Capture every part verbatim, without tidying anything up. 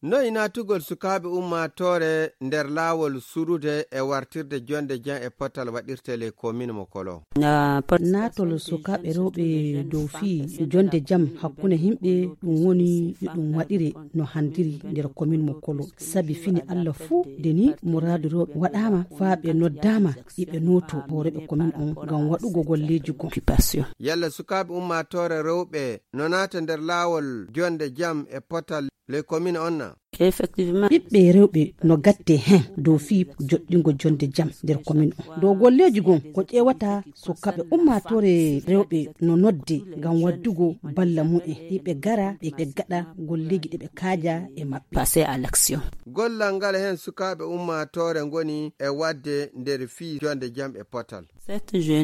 Noy naatugol sukaaɓe ummaatoore nder laawol surude e wartirde jonnde jam e potal waɗirtee ley komin mo Kolo? Naatol sukaaɓe rewɓe dow fii jonnde jam hakkunde yimɓe, ɗum woni yo ɗum waɗire no handiri nder komin mo Kolo. Sabi fini Alla fuu, de ni muraadu rewɓe waɗaama faa ɓe noddaama iɓe nooto hooreeɓe komin on ngam waɗugo golleeji goo. Yalla sukaaɓe ummaatoore rewɓe no naata nder laawol jonnde jam e potal ley komin on na? Ɓiɓɓe rewɓe no gatte hen dow fii joɗɗingo jonnde jam nder komin on. Dow golleeji goo ko ƴeewata sukaaɓe ummaatoore rewɓe no nodde ngam waddugo balla mu'en. Iɓe gara ɓe, ɓe gaɗa golleeji ɗe ɓe kaaja e maɓɓe. Passer à l'action. Gollal ngal hen sukaaɓe ummaatoore ngoni e waɗde nder fii jonnde jam e potal.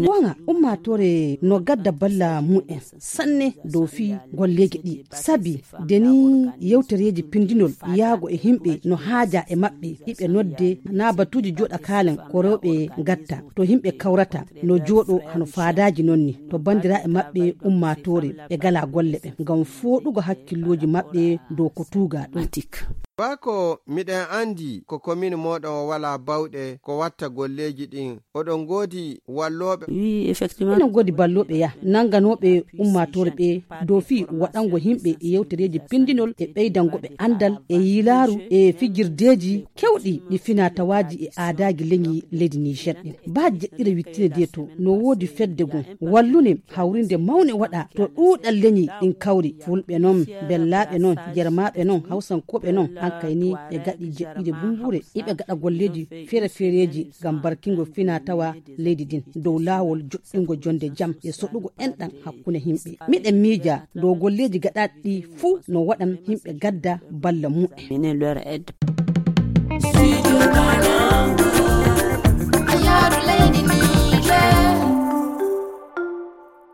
Goonga, ummaatoore no gadda balla mu'en sanne dow fii golleeji ɗi. Sabi de ni yewtereeji pindinol yaago e yimɓe no haaja e maɓɓe, iɓe nodde naa batuuji jooɗa kaalen ko rewɓe gatta. To yimɓe kawrata no jooɗo hano faadaaji non ni. To banndiraaɓe maɓɓe ummaatoore ɓe gala golle ɓe ngam fooɗugo hakkillooji maɓɓe dow ko tuuga ɗum. Baa ko miɗen anndi ko komin mooɗon o walaa bawɗe ko watta golleeji ɗin, oɗon ngoodi wallooɓe? Wi, effectivement. Enen ngoodi ballooɓe ya, nannganooɓe ummaatoore ɓe dow fii waɗango yimɓe e yewtereeji pindinol e ɓeydango ɓe anndal e yilaaru e fijirdeeji kewɗi ɗi finaa tawaaji e aadaaji leñi leydi Niger ɗin. Baa jeɗɗire wittine de to no woodi fedde goo wallune hawrinde mawne waɗa to ɗuuɗal leñi ɗin kawri, fulɓe non, bellaaɓe non, jermaaɓe non, hawsankooɓe non, hankay ni ɓe gaɗi jeɗɗire bumbuure, iɓe gaɗa golleeji feere-feereeji ngam barkingo finaa tawa leydi din dow laawol joɗɗingo jonnde jam e soɗugo enɗan hakkunde yimɓe. Miɗen miija dow golleeji gaɗaaɗi ɗi fuu no waɗan yimɓe gadda balla mu'en.